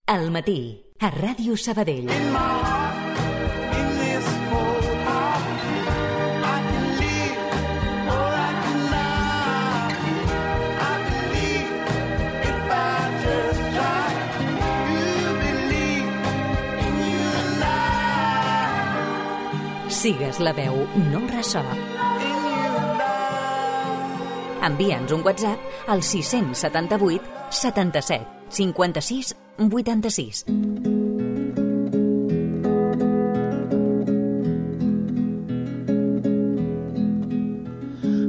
Al matí, a Ràdio Sabadell. Sigues la veu, no el ressò. Envia'ns un WhatsApp al 678 77 56 86.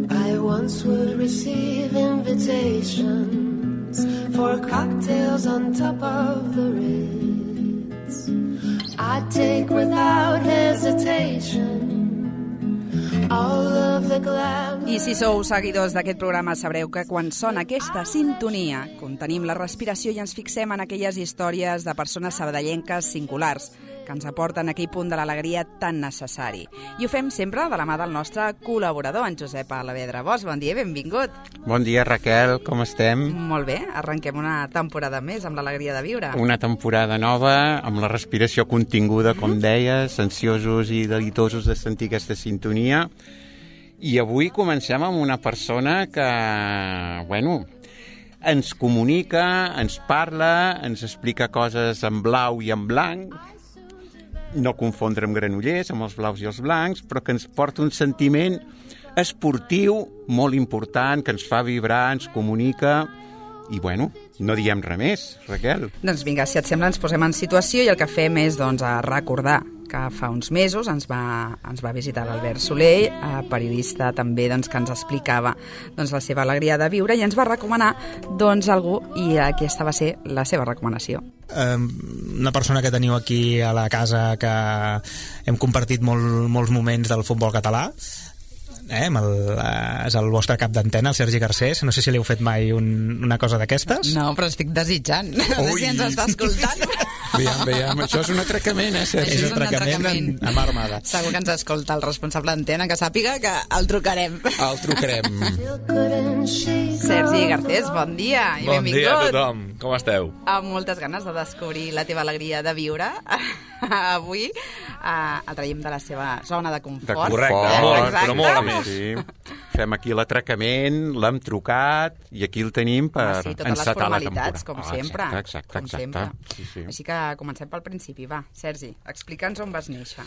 I once would receive invitations for cocktails on top of the Ritz. I'd take without hesitation all of the glam. I si sou seguidors d'aquest programa sabreu que quan sona aquesta sintonia contenim la respiració i ens fixem en aquelles històries de persones sabadellenques singulars que ens aporten aquell punt de l'alegria tan necessari. I ho fem sempre de la mà del nostre col·laborador, en Josep Alavedra Bosch. Bon dia i benvingut. Bon dia, Raquel, com estem? Molt bé, arrenquem una temporada més amb l'alegria de viure. Una temporada nova, amb la respiració continguda, com deies, ansiosos i delitosos de sentir aquesta sintonia. I avui comencem amb una persona que, ens comunica, ens parla, ens explica coses en blau i en blanc, no confondre amb Granollers, amb els blaus i els blancs, però que ens porta un sentiment esportiu molt important, que ens fa vibrar, ens comunica, i no diem res més, Raquel. Doncs vinga, si et sembla, ens posem en situació i el que fem és a recordar que fa uns mesos ens va visitar l'Albert Soler, periodista també que ens explicava la seva alegria de viure i ens va recomanar algú, i aquesta va ser la seva recomanació. Una persona que teniu aquí a la casa que hem compartit molts moments del futbol català, és el vostre cap d'antena, el Sergi Garcés. No sé si li heu fet mai una cosa d'aquestes. No, però estic desitjant. No sé si ens està escoltant. Veiem, això és un atracament, Sergi? És un atracament amb armada. Segur que ens escolta el responsable d'antena, que sàpiga que el trucarem. El trucarem. Sergi Garcés, bon dia i benvingut. Bon dia a tothom, com esteu? Amb moltes ganes de descobrir la teva alegria de viure. Avui el traiem de la seva zona de confort. Correcte, però molt a més. Sí. Fem aquí l'atracament, l'hem trucat i aquí el tenim per encetar la temporada. Com sempre. Exacte. Sí. Així que comencem pel principi. Va, Sergi, explica'ns on vas néixer.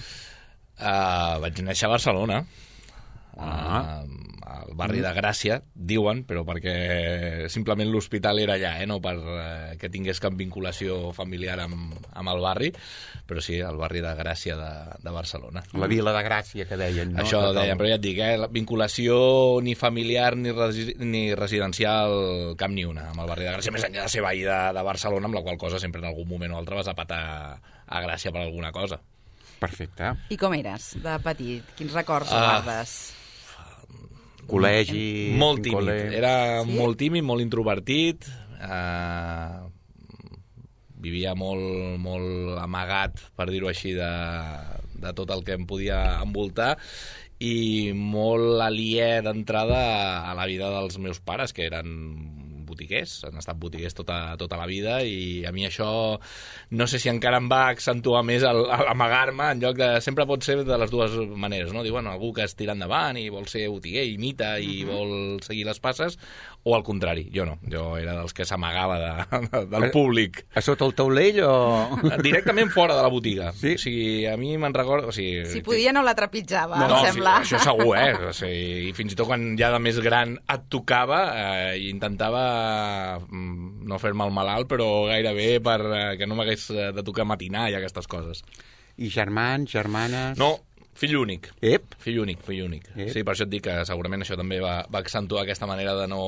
Vaig néixer a Barcelona, al barri de Gràcia, diuen, però perquè simplement l'hospital era allà, no per que tingués cap vinculació familiar amb el barri, però sí, al barri de Gràcia de Barcelona. La vila de Gràcia, que deien, no? Això deien, però ja et dic, la vinculació ni familiar ni residencial cap ni una amb el barri de Gràcia, més enllà de ser veí de Barcelona, amb la qual cosa sempre en algun moment o altre vas a patar a Gràcia per alguna cosa. Perfecte. I com eres de petit? Quins records guardes? Col·legi... Molt tímid. Era molt tímid, molt introvertit. Vivia molt amagat, per dir-ho així, de tot el que em podia envoltar, i molt aliè d'entrada a la vida dels meus pares, que eren botiguers, han estat botiguers tota la vida, i a mi això no sé si encara em va accentuar més amagar-me, en lloc de... Sempre pot ser de les dues maneres, no? Diu, algú que es tira endavant i vol ser botiguer, imita i vol seguir les passes, o al contrari, jo no. Jo era dels que s'amagava del públic. A sota el taulell o...? Directament fora de la botiga. Sí? O sigui, a mi me'n recordo... O sigui, si podia no la trepitjava, em sembla. Sí, això segur, O sigui, i fins i tot quan ja de més gran et tocava, intentava no fer-me el malalt, però gairebé perquè no m'hagués de tocar matinar i aquestes coses. I germans, germanes... No, fill únic. Ep. Fill únic. Sí, per això et dic que segurament això també va accentuar aquesta manera de no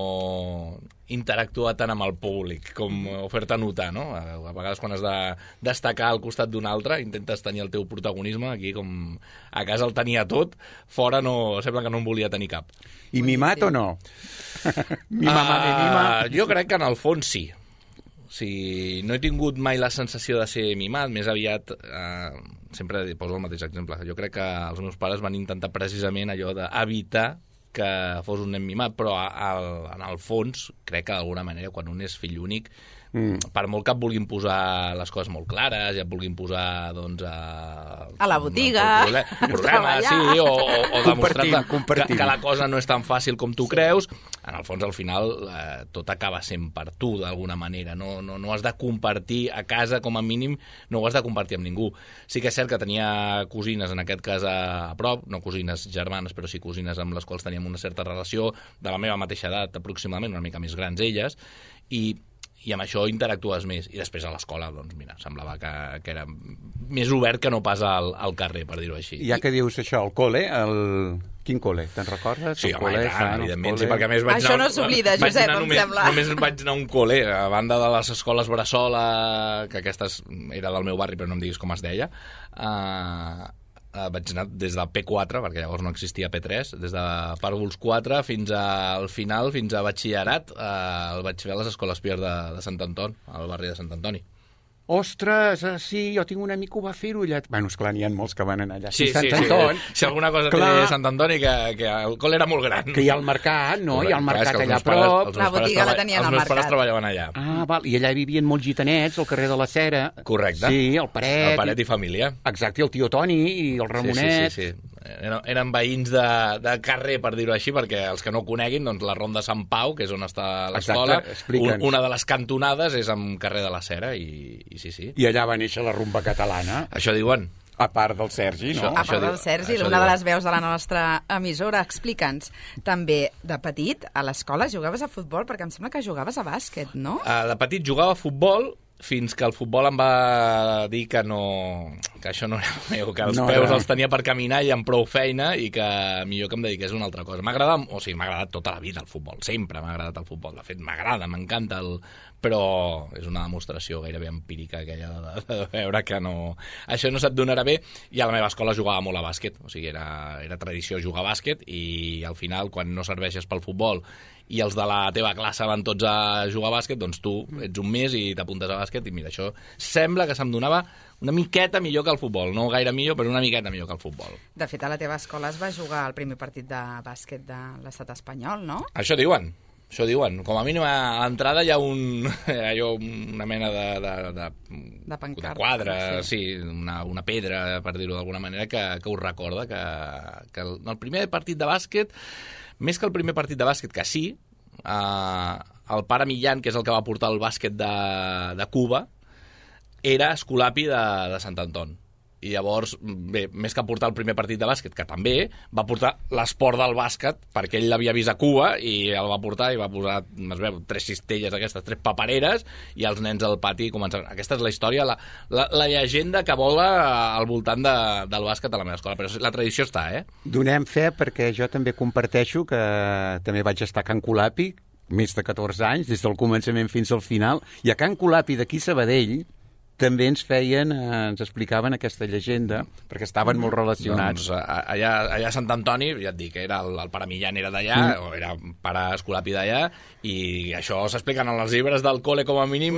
interactuar tant amb el públic, com fer-te notar, no? A vegades quan has de destacar al costat d'un altre, intentes tenir el teu protagonisme, aquí com a casa el tenia tot, fora no, sembla que no en volia tenir cap. I mimat o no? Mi mamà me mima? Jo crec que en el fons sí. O sigui, no he tingut mai la sensació de ser mimat, més aviat... sempre poso el mateix exemple. Jo crec que els meus pares van intentar precisament allò d'evitar que fos un nen mimat, però en el fons crec que d'alguna manera quan un és fill únic per molt que et vulguin posar les coses molt clares, ja et vulguin posar, doncs, a la botiga, problema, sí, o demostrar-te que la cosa no és tan fàcil com tu creus, en el fons, al final, tot acaba sent per tu, d'alguna manera. No has de compartir a casa, com a mínim, no ho has de compartir amb ningú. Sí que és cert que tenia cosines, en aquest cas a prop, no cosines germanes, però sí cosines amb les quals teníem una certa relació, de la meva mateixa edat, aproximadament, una mica més grans elles, i amb això interactues més. I després a l'escola, doncs mira, semblava que era més obert que no pas al carrer, per dir-ho així. Ja que dius això, el col·le, quin col·le? Te'n recordes? Sí, home, evidentment, sí, perquè a més això no s'oblida, Josep, em sembla. Només vaig anar a un col·le, a banda de les escoles Bressola, que aquesta era del meu barri, però no em diguis com es deia, vaig anar des del P4, perquè llavors no existia P3, des de pàrvuls 4 fins al final, fins a batxillerat, el vaig fer a les escoles Pier de Sant Antoni, al barri de Sant Antoni. Ostres, sí, jo tinc un amic que ho va fer-ho allà. Bueno, esclar, n'hi ha molts que van anar allà. Sí. Si alguna cosa té Sant Antoni, que el col era molt gran. Que hi ha el mercat, no? Hi ha el mercat allà a prop. La botiga la tenien al mercat. Els meus pares treballaven allà. Ah, val. I allà vivien molts gitanets, al carrer de la Cera. Correcte. Sí, el Paret. El Paret i família. Exacte, i el tio Toni i el Ramonet. Sí. Eren veïns de carrer, per dir-ho així, perquè els que no ho coneguin, doncs la Ronda Sant Pau, que és on està l'escola, una de les cantonades és amb carrer de la Cera, i sí. I allà va néixer la rumba catalana. Això diuen. A part del Sergi, no? A part del Sergi, una de les veus de la nostra emissora. Explica'ns, també de petit, a l'escola jugaves a futbol, perquè em sembla que jugaves a bàsquet, no? De petit jugava a futbol, fins que el futbol em va dir que això no era meu, que els peus els tenia per caminar i amb prou feina, i que millor que em dediqués a una altra cosa. M'ha agradat tota la vida el futbol, sempre m'ha agradat el futbol, de fet m'agrada, m'encanta, però és una demostració gairebé empírica aquella de veure que això no se't donarà bé, i a la meva escola jugava molt a bàsquet, o sigui, era tradició jugar a bàsquet, i al final, quan no serveixes pel futbol i els de la teva classe van tots a jugar a bàsquet, doncs tu ets un mes i t'apuntes a bàsquet, i mira, això sembla que se'm donava una miqueta millor que el futbol, no gaire millor, però una miqueta millor que el futbol. De fet, a la teva escola es va jugar el primer partit de bàsquet de l'estat espanyol, no? Això diuen. Com a mínim a l'entrada hi ha una mena de quadre, sí, una pedra, per dir-ho d'alguna manera, que us recorda que el primer partit de bàsquet, més que el primer partit de bàsquet, que sí, el pare Millán, que és el que va portar el bàsquet de Cuba, era escolapi de Sant Antoni. I llavors, bé, més que portar el primer partit de bàsquet, que també, va portar l'esport del bàsquet, perquè ell l'havia vist a Cuba, i el va portar i va posar, es veu, 3 cistelles aquestes, 3 papereres, i els nens al pati començaven. Aquesta és la història, la llegenda que vola al voltant del bàsquet a la meva escola, però la tradició està, Donem fe, perquè jo també comparteixo que també vaig estar a Can Colapi, més de 14 anys, des del començament fins al final, i a Can Colapi d'aquí Sabadell també ens explicaven aquesta llegenda, perquè estaven molt relacionats. Doncs allà a Sant Antoni, ja et dic, el pare Millán era d'allà, o era pare escolapi d'allà, i això s'expliquen en els llibres del col·le, com a mínim,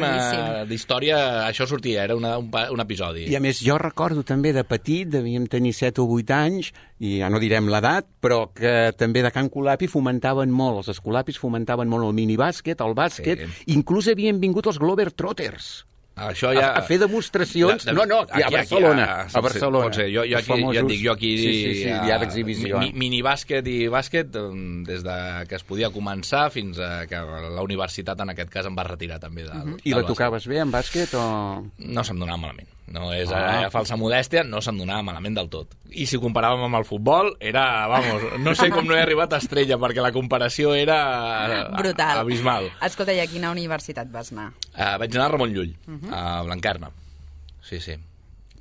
d'història, això sortia, era un episodi. I a més, jo recordo també de petit, devíem tenir 7 o 8 anys, i ja no direm l'edat, però que també de Can Colapi fomentaven molt, els escolapis fomentaven molt el minibàsquet, el bàsquet, inclús havien vingut els Glover Trotters, això ja... a fer demostracions. Aquí, a Barcelona. A Barcelona. Pot ser. Jo aquí sí, hi ha d'exhibició. Minibàsquet i bàsquet, des de que es podia començar fins a que la universitat, en aquest cas, em va retirar també del bàsquet. I la tocaves bé, en bàsquet, o...? No se'm donava malament. No és falsa modèstia, no se'm donava malament del tot. I si ho comparàvem amb el futbol, era, no sé com no he arribat a estrella, perquè la comparació era brutal, abismal. Escolta, i a quina universitat vas anar? Vaig anar a Ramon Llull, a Blanquerna. Sí.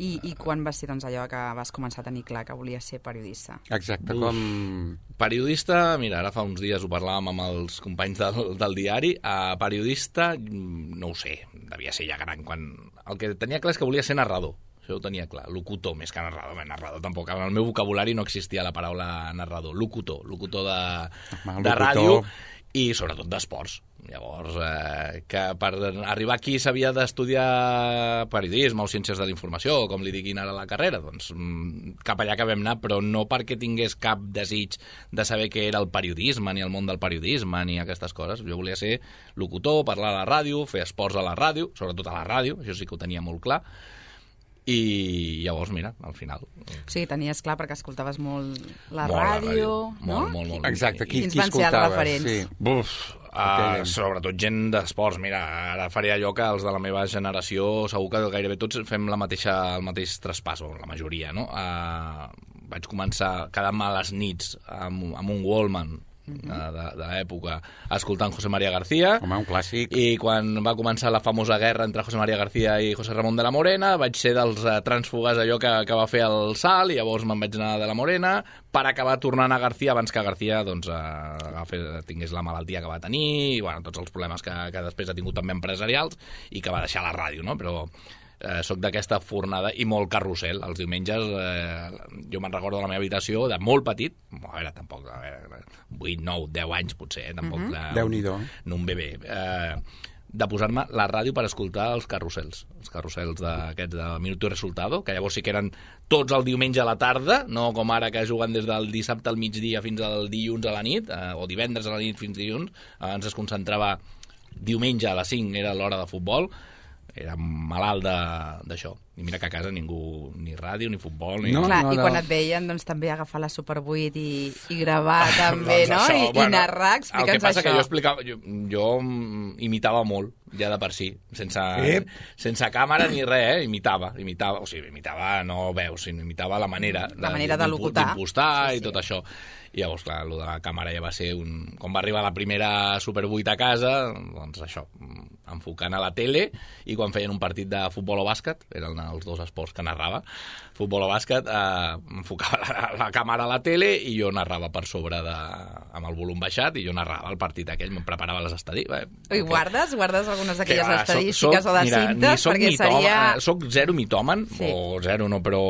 I quan va ser, doncs, allò que vas començar a tenir clar que volies ser periodista? Exacte, com... Periodista, mira, ara fa uns dies ho parlàvem amb els companys del diari, periodista, no ho sé, devia ser ja gran, quan... El que tenia clar és que volia ser narrador, això ho tenia clar, locutor, més que narrador tampoc, en el meu vocabulari no existia la paraula narrador, locutor de ràdio, i sobretot d'esports. Llavors, que per arribar aquí s'havia d'estudiar periodisme o ciències de la informació, o com li diguin ara a la carrera, doncs cap allà que vam anar, però no perquè tingués cap desig de saber què era el periodisme, ni el món del periodisme, ni aquestes coses. Jo volia ser locutor, parlar a la ràdio, fer esports a la ràdio, sobretot a la ràdio, això sí que ho tenia molt clar. I llavors, mira, al final... O sigui, tenies clar perquè escoltaves molt la molt ràdio, no? Molt. Exacte, qui Quins van ser els referents? Sí. Buf, sobretot gent d'esports. Mira, ara faré allò que els de la meva generació segur que gairebé tots fem el mateix traspàs, o la majoria, no? Vaig començar quedant-me a les nits amb un Walkman de l'època escoltant José María García. Home, un clàssic. I quan va començar la famosa guerra entre José María García i José Ramón de la Morena, vaig ser dels trànsfugues allò que va fer el salt, i llavors me'n vaig anar de la Morena per acabar tornant a García abans que García doncs, tingués la malaltia que va tenir i bueno, tots els problemes que després ha tingut també empresarials i que va deixar la ràdio, no? Però soc d'aquesta fornada i molt carrusel. Els diumenges jo me'n recordo de la meva habitació de molt petit, a veure, tampoc 8, 9, 10 anys potser, tampoc Déu-n'hi-do. no un bebè, de posar-me la ràdio per escoltar els carrusels d'aquests de Minuto y Resultado, que llavors sí que eren tots el diumenge a la tarda, no com ara que juguen des del dissabte al migdia fins al dilluns a la nit, o divendres a la nit fins dilluns. Abans es concentrava diumenge a les 5, era l'hora de futbol. Era malalt d'això. I mira que a casa ningú, ni ràdio, ni futbol... No, clar, i quan et veien, doncs també agafar la Super 8 i gravar també, doncs no? Això, I narrar, explica'ns això. El que passa que jo explicava... Jo imitava molt, ja de per si, sense càmera ni res, imitava. O sigui, imitava no veus, sinó imitava la manera de locutar. D'impostar i tot això. I llavors, clar, el de la càmera ja va ser quan va arribar la primera Super 8 a casa, doncs això, enfocant a la tele, i quan feien un partit de futbol o bàsquet, eren els dos esports que narrava, futbol o bàsquet, enfocava la càmera a la tele i jo narrava per sobre amb el volum baixat, i jo narrava el partit aquell, em preparava les estadístiques. I guardes algunes d'aquelles estadístiques o de cintes? Perquè seria... Soc zero mitòman, o zero no, però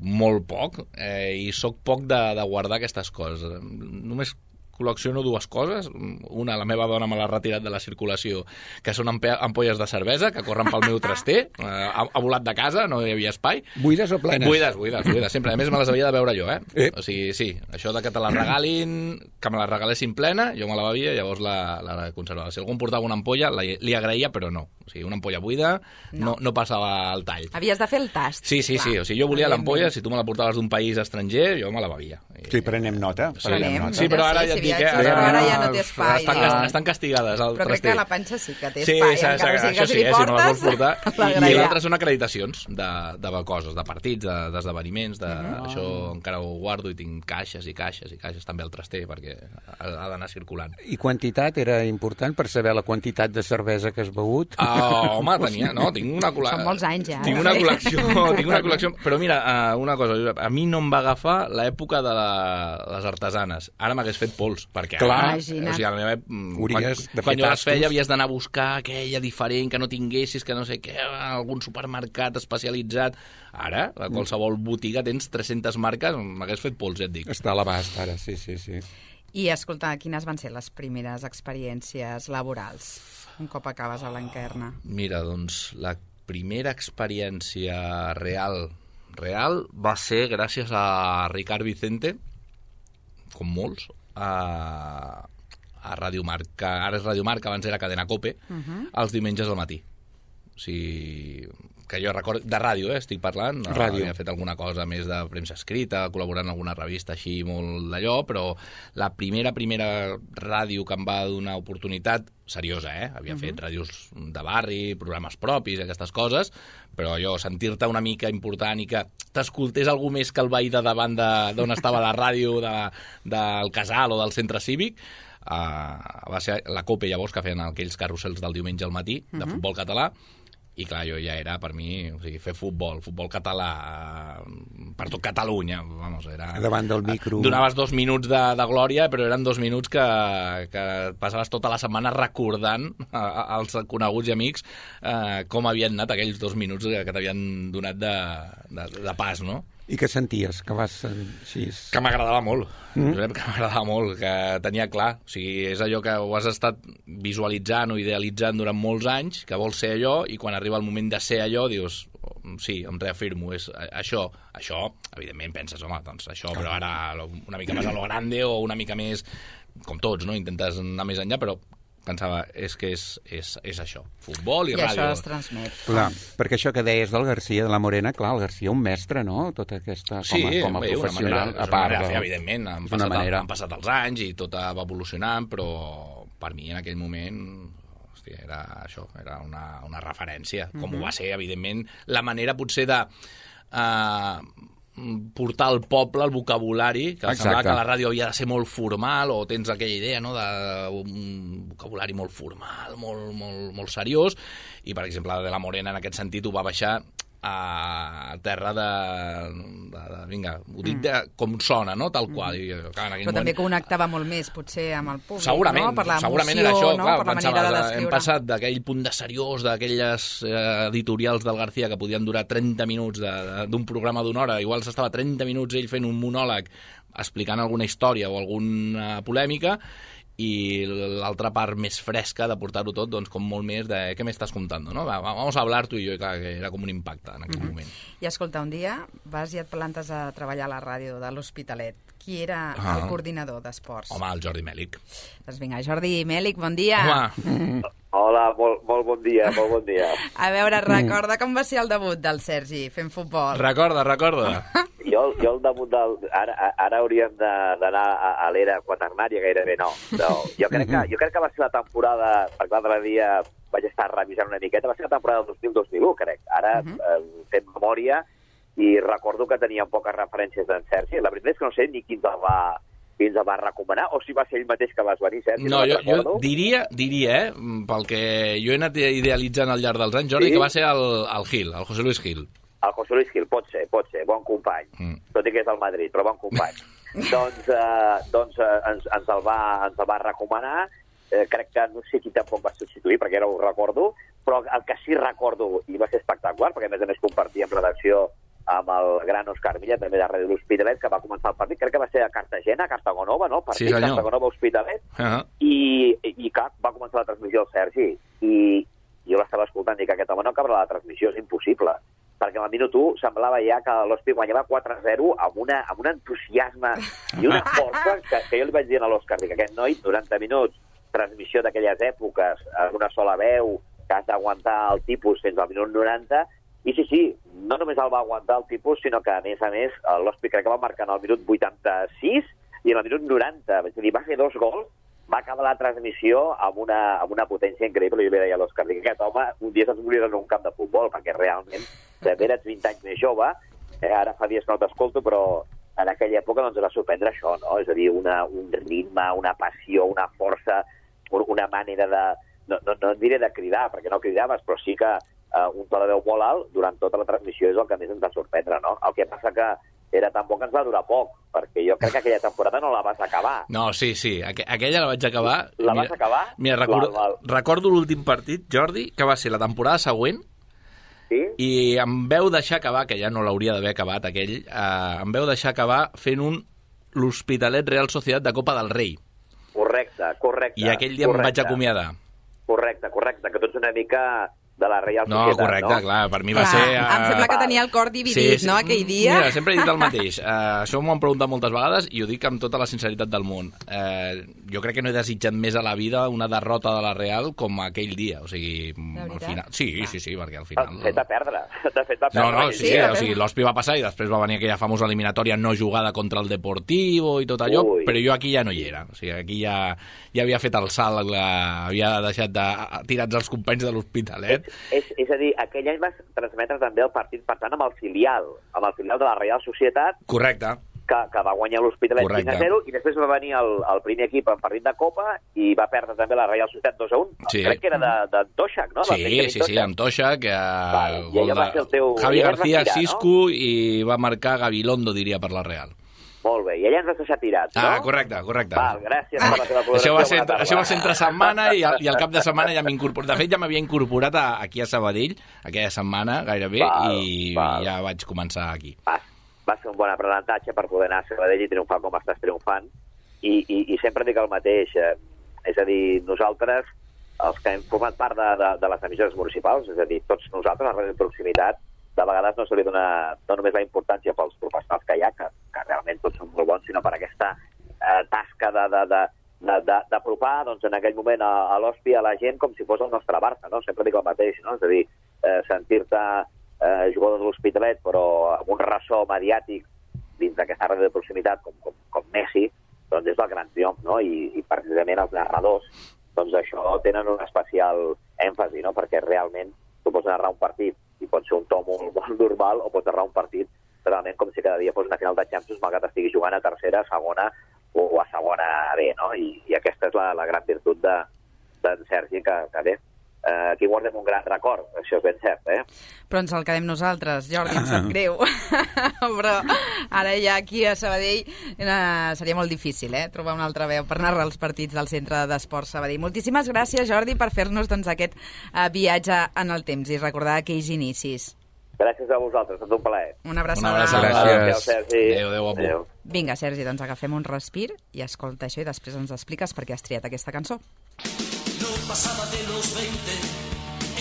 molt poc, i soc poc de guardar aquestes coses. Només col·lecciono dues coses. Una, la meva dona me l'ha retirat de la circulació, que són ampolles de cervesa que corren pel meu traster. Ha volat de casa, no hi havia espai. Buides o plenes? Buides, sempre. A més, me les havia de beure jo, O sigui, sí, això de que te la regalin, que me la regalessin plena, jo me la bevia i llavors la conservava. Si algú em portava una ampolla, li agraïa, però no. O sigui, una ampolla buida no passava el tall. Havies de fer el tast. Sí. O sigui, jo volia l'ampolla, si tu me la portaves d'un país estranger, jo me la bevia. Sí, prenem nota. Sí, però ara ja et dic, ara ja no té espai. Estan castigades al però crec traster. que la panxa sí que té espai. Això sí, si no les vols portar. I l'altre són acreditacions de coses, de partits, d'esdeveniments, això encara ho guardo i tinc caixes i caixes i caixes també al traster perquè ha d'anar circulant. I quantitat era important per saber la quantitat de cervesa que has begut? Home, tinc una col·lecció. Són molts anys ja. Tinc una col·lecció. Però mira, una cosa, a mi no em va agafar l'època de les artesanes. Ara m'hagués fet pols, perquè clar, o sigui, a la meva, quan jo les feia havies d'anar a buscar aquella diferent que no tinguessis, que no sé què, algun supermercat especialitzat. Ara, a qualsevol botiga tens 300 marques, m'hagués fet pols, ja et dic. Està a l'abast ara, sí. I escolta, quines van ser les primeres experiències laborals un cop acabes a Blanquerna? Mira, doncs la primera experiència real va ser gràcies a Ricard Vicente, com molts, a Ràdio Marca, ara és Ràdio Marca, abans era Cadena Cope, els diumenges al matí. O sigui, que jo recordo, de ràdio, estic parlant, havia fet alguna cosa més de premsa escrita, col·laborant en alguna revista així molt d'allò, però la primera ràdio que em va donar oportunitat, seriosa, havia fet ràdios de barri, programes propis, aquestes coses, però allò, sentir-te una mica important i que t'escoltés algú més que el veí de davant d'on estava la ràdio del casal o del centre cívic, va ser la COPE llavors, que feien aquells carrusels del diumenge al matí de futbol català. I clar, jo ja era, per mi, o sigui, fer futbol català per tot Catalunya, vamos, era... Davant del micro... Donaves 2 minuts de glòria, però eren 2 minuts que passaves tota la setmana recordant als coneguts i amics com havien anat aquells 2 minuts que t'havien donat de pas, no? I què senties? Que vas així... Que m'agradava molt. Josep, que m'agradava molt, que tenia clar. O sigui, és allò que ho has estat visualitzant o idealitzant durant molts anys, que vols ser allò, i quan arriba el moment de ser allò, dius, sí, em reafirmo, és això. Això, evidentment, penses, home, doncs això, però ara una mica més a lo grande o una mica més, com tots, no? Intentes anar més enllà, però pensava, és que és això, futbol i ràdio. I això es transmet. Clar, perquè això que deies del Garcia, de la Morena, clar, el Garcia un mestre, no? Tota aquesta, com a professional, a part. Sí, evidentment, han passat els anys i tot va evolucionant, però per mi en aquell moment, hòstia, era això, era una referència, com ho va ser, evidentment, la manera potser de portar al poble el vocabulari, que semblava que la ràdio havia de ser molt formal, o tens aquella idea, no?, d'un vocabulari molt formal, molt seriós, i per exemple de la Morena en aquest sentit ho va baixar a terra vinga, ho dic com sona, no?, tal qual. I, clar, però també connectava molt més, potser, amb el públic, segurament, no?, per l'emoció, segurament era això, no?, clar, per la manera de descriure. Hem passat d'aquell punt de seriós, d'aquelles editorials del García que podien durar 30 minuts d'un programa d'una hora, igual s'estava 30 minuts ell fent un monòleg explicant alguna història o alguna polèmica, i l'altra part més fresca de portar-ho tot, doncs, com molt més de què m'estàs contant, no? Vamos a hablar tu i jo, i clar, que era com un impacte en aquell moment. I escolta, un dia vas i et plantes a treballar a la ràdio de l'Hospitalet. Qui era el coordinador d'esports? Home, el Jordi Mèlic. Doncs vinga, Jordi Mèlic, bon dia. Home. Hola, molt bon dia, molt bon dia. A veure, recorda com va ser el debut del Sergi fent futbol? Recorda. Jo el debut ara hauríem d'anar a l'era quaternària, gairebé no. Jo crec que va ser la temporada, perquè l'altre dia vaig estar revisant una miqueta, va ser la temporada del 2000-2001, crec. Ara fem memòria i recordo que teníem poques referències d'en Sergi. La veritat és que no sé ni qui ens el va recomanar, o si va ser ell mateix que vas venir, Sergi. No, jo diria, pel que jo he anat idealitzant al llarg dels anys, Jordi, que va ser el Gil, el José Luis Gil. El José Luis Gil, pot ser, bon company. Tot i que és del Madrid, però bon company. doncs ens el va recomanar. Crec que no sé qui tampoc va substituir, perquè ara ho recordo, però el que sí recordo, i va ser espectacular, perquè a més compartíem redacció amb el gran Òscar Milla, també de Ràdio l'Hospitalet, que va començar el partit, crec que va ser a Cartagena, Cartagonova, no? Partit, sí, Cartagonova-Hospitalet, i clar, va començar la transmissió del Sergi, i jo l'estava escoltant i que aquest home no acabarà la transmissió, és impossible, perquè al minut 1 semblava ja que l'Hospi guanyava 4-0 amb un entusiasme i una força que jo li vaig dir a l'Òscar, que aquest noi, 90 minuts, transmissió d'aquelles èpoques, amb una sola veu, que has d'aguantar el tipus fins al minut 90, i sí, no només el va aguantar el tipus, sinó que, a més, l'Hospi crec que va marcar en el minut 86 i en el minut 90. És a dir, va fer 2 gols, va acabar la transmissió amb una potència increïble. Jo li deia a l'Òscar, que aquest home un dia se'ns morirà en un camp de futbol, perquè realment, també eres 20 anys més jove, ara fa dies que no t'escolto, però en aquella època ens va sorprendre això, no? És a dir, un ritme, una passió, una força, una manera de... No diré de cridar, perquè no cridaves, però sí que un to de veu molt alt durant tota la transmissió és el que més ens va sorprendre, no? El que passa que era tan bo que ens va durar poc, perquè jo crec que aquella temporada no la vas acabar. No, sí, aquella la vaig acabar. La vas acabar? Mira, recordo l'últim partit, Jordi, que va ser la temporada següent, sí? I em veu deixar acabar, que ja no l'hauria d'haver acabat aquell, em veu deixar acabar fent l'Hospitalet Real Societat de Copa del Rei. Correcte. I aquell dia em vaig acomiadar. Correcte, que tu ets una mica de la Real Societat, no? Correcte, clar, per mi va ser... Em sembla que tenia el cor dividit, no, aquell dia? Mira, sempre he dit el mateix. Això m'ho han preguntat moltes vegades i ho dic amb tota la sinceritat del món. Jo crec que no he desitjat més a la vida una derrota de la Real com aquell dia. O sigui, al final... Sí, perquè al final... T'ha fet a perdre. No, sí, o sigui, l'Hospi va passar i després va venir aquella famosa eliminatòria no jugada contra el Deportivo i tot allò, però jo aquí ja no hi era. O sigui, aquí ja havia fet el salt, havia deixat tirats els companys de l'Hospitalet. És a dir, aquell any vas transmetre també el partit, per tant, amb el filial de la Real Societat. Correcte. Que va guanyar l'Hospitalet 5-0, i després va venir el primer equip en partit de Copa i va perdre també la Real Societat 2-1. Sí. Crec que era d'Antoixac, no? Sí, amb Toixac. I allò va ser el teu... Javi García, Cisco, no? I va marcar Gabilondo, diria, per la Real. Molt bé, i allà ens vas deixar tirats, no? Correcte. Val, gràcies per la teva col·laboració. Això va ser entre setmana i al cap de setmana ja m'he incorporat. De fet, ja m'havia incorporat aquí a Sabadell, aquella setmana gairebé, i ja vaig començar aquí. va ser un bon aprenentatge per poder anar a Sabadell i triomfar com estàs triomfant. I sempre dic el mateix, és a dir, nosaltres, els que hem format part de les emissores municipals, és a dir, tots nosaltres, la ràdio de proximitat, de vegades no se li dona no només la importància pels professionals que hi ha, que realment tots són molt bons, sinó per aquesta tasca d'apropar, doncs, en aquell moment a l'hòstia, a la gent, com si fos el nostre Barça, no? Sempre dic el mateix, no? És a dir, sentir-te jugador de l'Hospitalet, però amb un ressò mediàtic dins d'aquesta ràdio de proximitat, com Messi, doncs és el gran triomf, no? I precisament els narradors, doncs això tenen un especial èmfasi, no? Perquè realment tu pots narrar un partit i pot ser un to molt normal, o pots narrar un partit realment com si cada dia fos una final de Champions, malgrat estigui jugant a tercera, a segona o a segona B, no? I aquesta és la gran virtut d'en Sergi, que bé, aquí guardem un gran record, això és ben cert, Però ens el quedem nosaltres, Jordi, em sap greu. Però ara ja aquí a Sabadell seria molt difícil, trobar una altra veu per narrar els partits del Centre d'Esports Sabadell. Moltíssimes gràcies, Jordi, per fer-nos aquest viatge en el temps i recordar aquells inicis. Gràcies a vosaltres, és un plaer. Una abraçada. Gràcies. Adéu. Vinga, Sergi, doncs agafem un respir i escolta això i després ens expliques per què has triat aquesta cançó. No pasaba de los 20,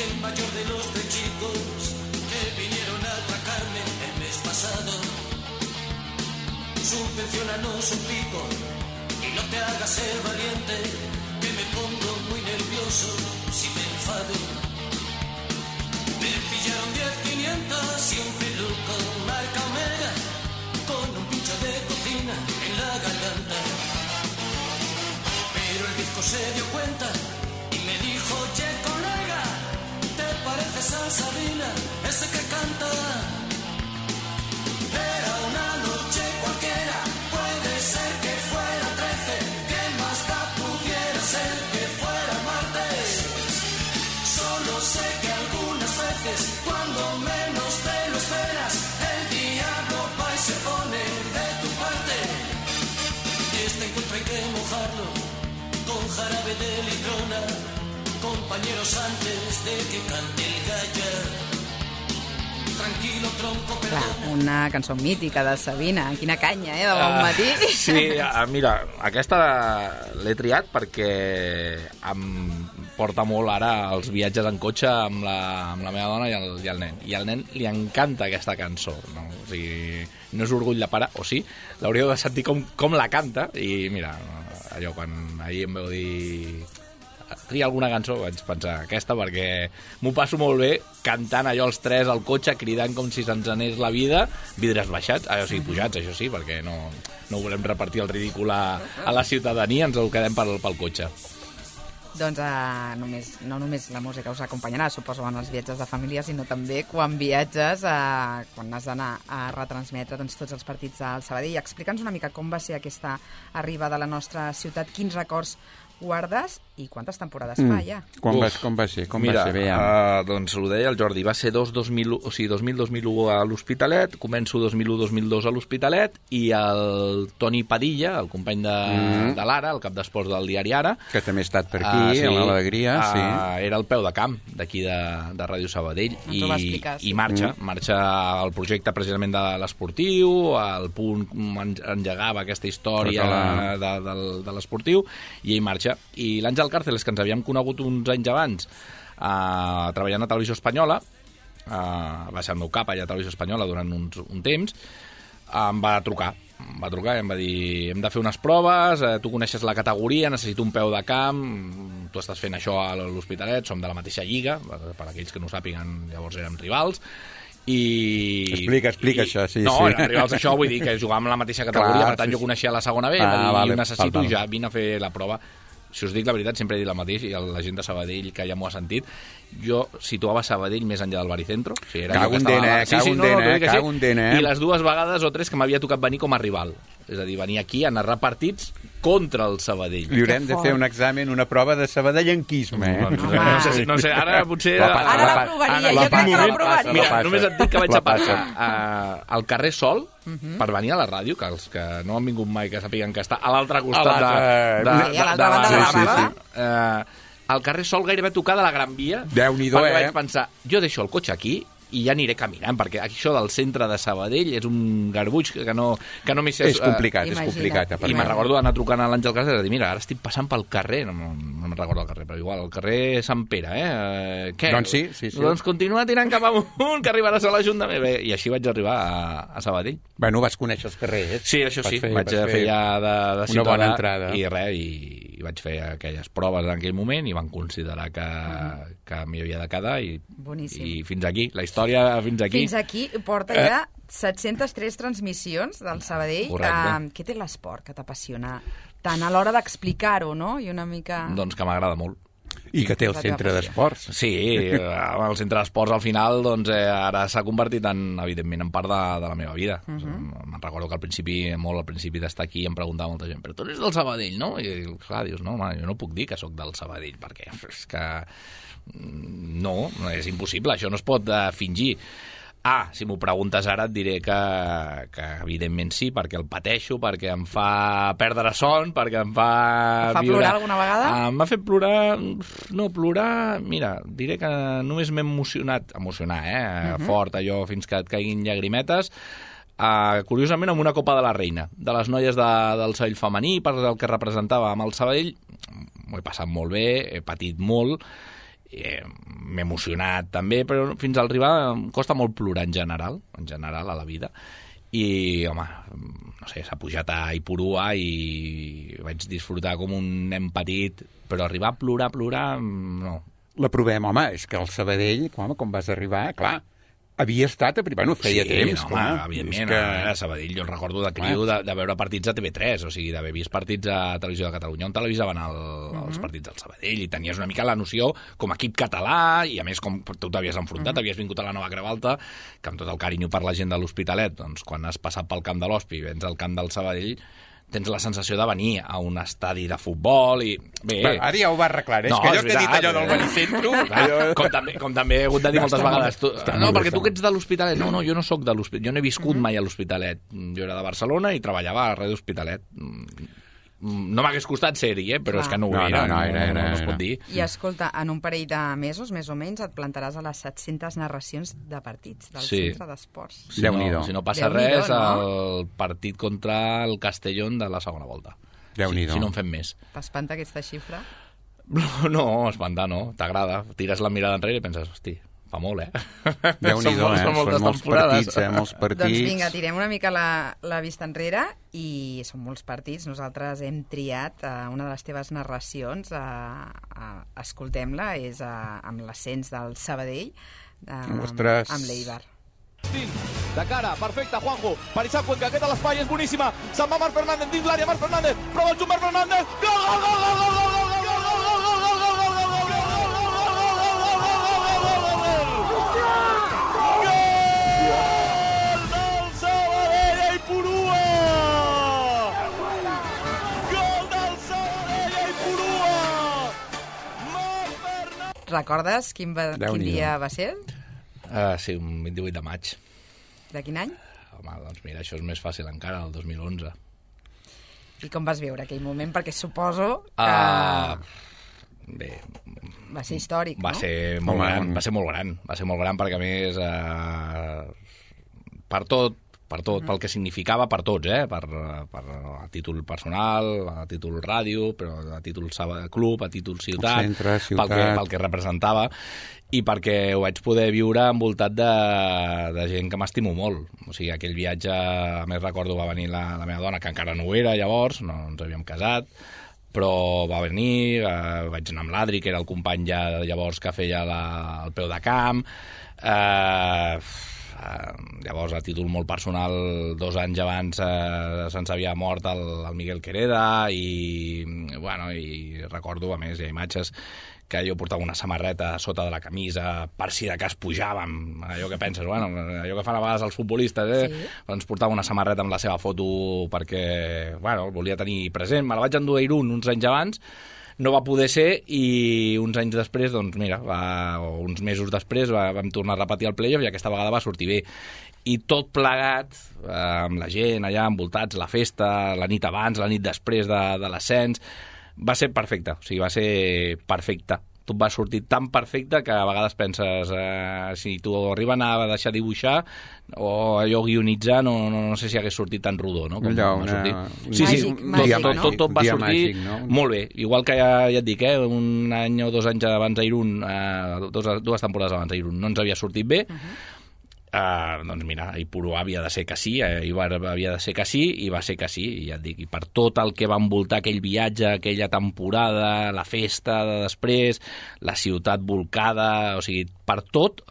el mayor de los 3 chicos que vinieron a atracarme el mes pasado. Subvenciónanos un pico y no te hagas el valiente, que me pongo muy nervioso si me enfado. Me pillaron 10.500 y un peluco marca Omega con un pincho de cocina en la garganta. Pero el disco se dio cuenta y me dijo, che colega, ¿te pareces a Sabina, ese que canta? Era una noche cualquiera, puede ser que fuera 13, que más da pudiera ser que fuera martes. Solo sé que algunas veces, cuando menos te lo esperas, el diablo va y se pone de tu parte. Y este encuentro hay que mojarlo con jarabe de litrona, compañeros, antes de que cante el gallo. Tranquilo, tronco, perdona. Clar, una cançó mítica de Sabina. Quina canya, de bon matí. Sí, mira, aquesta l'he triat perquè em porta molt ara els viatges en cotxe amb la meva dona i el nen. I al nen li encanta aquesta cançó, no? O sigui, no és orgull de pare, o sí, l'hauríeu de sentir com la canta. I mira, allò, quan ahir em veu dir tria alguna cançó, vaig pensar aquesta, perquè m'ho passo molt bé cantant allò els tres al cotxe, cridant com si se'ns anés la vida, vidres baixats, o sigui, pujats, això sí, perquè no volem repartir el ridícul a la ciutadania, ens ho quedem pel cotxe. Doncs no només la música us acompanyarà, suposo, en els viatges de família, sinó també quan viatges, quan has d'anar a retransmetre tots els partits del Sabadell. Explica'ns una mica com va ser aquesta arribada a la nostra ciutat, quins records guardes i quantes temporades fa ja? Com va ser? Mira, va ser? Doncs ho deia el Jordi, va ser 2000-2001 a l'Hospitalet, començo 2001-2002 a l'Hospitalet, i el Toni Padilla, el company de l'Ara, el cap d'esports del diari Ara, que també ha estat per aquí, sí, a l'Alegria, sí. Era el peu de camp d'aquí de Ràdio Sabadell, i marxa el projecte precisament de l'esportiu, al Punt engegava aquesta història de l'esportiu, i ell marxa. I l'Àngel Càrceles, que ens havíem conegut uns anys abans treballant a Televisió Espanyola, va ser el meu cap allà a Televisió Espanyola durant un temps, em va trucar i em va dir, hem de fer unes proves, tu coneixes la categoria, necessito un peu de camp, tu estàs fent això a l'Hospitalet, som de la mateixa lliga, per aquells que no ho sàpiguen, llavors érem rivals, i... Explica això, sí. No, eren rivals això, vull dir que jugàvem en la mateixa categoria, per tant jo coneixia la segona B, i necessito ja, vine a fer la prova. Si us dic la veritat, sempre he dit la mateix, i la gent de Sabadell que ja m'ho ha sentit, jo situava Sabadell més enllà del Baricentro. O sigui, cago en dena, I les dues vegades o tres que m'havia tocat venir com a rival. És a dir, venir aquí a narrar partits contra el Sabadell. Li haurem de fer un examen, una prova de sabadellenquisme, No sé, ara potser... Ara la provaria, jo crec que la provaria. Mira, només et dic que vaig a passar al carrer Sol per venir a la ràdio, que els que no han vingut mai, que sàpiguen que està a l'altre costat a l'altra banda de la ràdio. al carrer Sol gairebé tocar de la Gran Via. Déu-n'hi-do, perquè vaig pensar, jo deixo el cotxe aquí i ja aniré caminant, perquè això del centre de Sabadell és un garbuix que no m'hi sé... És complicat, I me'n recordo d'anar trucant a l'Àngel Casas i dir, mira, ara estic passant pel carrer, no me'n recordo el carrer, però igual, el carrer Sant Pere, Què? Doncs sí. Doncs continua tirant cap amunt, que arribaràs a l'Ajuntament. I així vaig arribar a Sabadell. Bueno, vas conèixer els carrers. Sí, això sí, vaig fer ja de ciutadà. Una bona entrada. I res, i vaig fer aquelles proves en aquell moment i van considerar que m'hi havia de quedar i fins aquí, la història fins aquí. Fins aquí porta ja 703 transmissions del Sabadell. Què té l'esport que t'apassiona tant a l'hora d'explicar-ho, no? I una mica... Doncs que m'agrada molt. I que té el centre d'esports. Sí, el centre d'esports al final doncs, ara s'ha convertit evidentment en part de la meva vida. Me'n recordo que al principi d'estar aquí em preguntava molta gent, però tu eres del Sabadell, no? I clar, dius, no, home, jo no puc dir que sóc del Sabadell, perquè és que no, és impossible, això no es pot fingir. Si m'ho preguntes ara et diré que evidentment sí, perquè el pateixo, perquè em fa perdre son, perquè em fa viure... plorar alguna vegada? M'ha fet plorar... No, plorar... Mira, diré que només m'he emocionat, fort, allò, fins que et caiguin llagrimetes, curiosament amb una Copa de la Reina, de les noies del Sabadell femení, per el que representava amb el Sabadell. M'ho he passat molt bé, he patit molt, m'he emocionat també, però fins al arribar em costa molt plorar en general a la vida, i home, no sé, s'ha pujat a Ipurua i vaig disfrutar com un nen petit, però arribar a plorar, no. La provem, home, és que el Sabadell, com vas arribar, clar, havia estat, bueno, feia temps. Sí, home, evidentment, a Sabadell jo recordo de criu de veure partits a TV3, o sigui, d'haver vist partits a Televisió de Catalunya on televisaven els partits del Sabadell, i tenies una mica la noció com a equip català, i a més com tu t'havies enfrontat, havies vingut a la Nova Creu Alta, que amb tot el carinyo per la gent de l'Hospitalet, doncs quan has passat pel camp de l'Hospi i vens al camp del Sabadell, tens la sensació de venir a un estadi de futbol i... Bé, ara ja ho va arreglar, és que allò que he dit allò del Benicentro... Com també he hagut de dir moltes vegades. No, perquè tu que ets de l'Hospitalet. No, jo no sóc de l'Hospitalet. Jo no he viscut mai a l'Hospitalet. Jo era de Barcelona i treballava a Ràdio Hospitalet. No m'hagués costat ser-hi, però és que no ho era. No es pot dir. I escolta, en un parell de mesos, més o menys, et plantaràs a les 700 narracions de partits del centre d'esports. Si no passa res, el partit contra el Castellón de la segona volta. Si no en fem més. T'espanta aquesta xifra? No, espantar no. T'agrada. Tires la mirada enrere i penses, hosti, fa molt, Déu-n'hi-do, són molts partits, molts partits. Doncs vinga, tirem una mica la vista enrere i són molts partits. Nosaltres hem triat una de les teves narracions, escoltem-la, és amb l'ascens del Sabadell, amb l'Eibar. De cara, perfecte, Juanjo, per Isaac Cuenca, aquesta a l'espai és boníssima, se'n va Marc Fernández dins l'àrea, Marc Fernández, prova el xut Marc Fernández, gol, gol, gol, gol, gol, gol, gol, gol, gol, gol, Recordes quin dia va ser? Sí, un 28 de maig. De quin any? Home, doncs mira, això és més fàcil encara, el 2011. I com vas viure aquell moment? Perquè suposo que... Bé... Va ser històric, no? Va ser molt gran, perquè a més per tot, pel que significava per tots, per a títol personal, a títol ràdio, però a títol club, a títol ciutat, pel que representava, i perquè ho vaig poder viure envoltat de gent que m'estimo molt. O sigui, aquell viatge, a més recordo, va venir la meva dona, que encara no ho era llavors, no ens havíem casat, però va venir, vaig anar amb l'Adri, que era el company ja de llavors que feia el peu de camp, llavors a títol molt personal 2 anys abans se'ns havia mort el Miguel Quereda i recordo, a més hi ha imatges que jo portava una samarreta sota de la camisa per si de cas pujàvem, allò que penses, allò que fan a vegades els futbolistes, sí. Ens portava una samarreta amb la seva foto perquè el volia tenir present, me la vaig endur a Irún uns anys abans, no va poder ser i uns anys després, doncs mira, uns mesos després vam tornar a repetir el playoff i aquesta vegada va sortir bé. I tot plegat, amb la gent allà envoltats, la festa, la nit abans, la nit després de l'ascens, va ser perfecte, o sigui, va ser perfecte. tot va sortir tan perfecte que a vegades penses si t'ho arriben a deixar dibuixar o allò guionitzar, no sé si hagués sortit tan rodó, no? Com allò, tot va sortir molt bé. Igual que ja et dic, un any o 2 anys abans d'Irún, 2 temporades abans d'Irún, no ens havia sortit bé. Doncs mira, Ipurú havia de ser que sí, Ibar havia de ser que sí, i va ser que sí, i ja et dic, i per tot el que va envoltar aquell viatge, aquella temporada, la festa de després, la ciutat volcada, o sigui, per tot,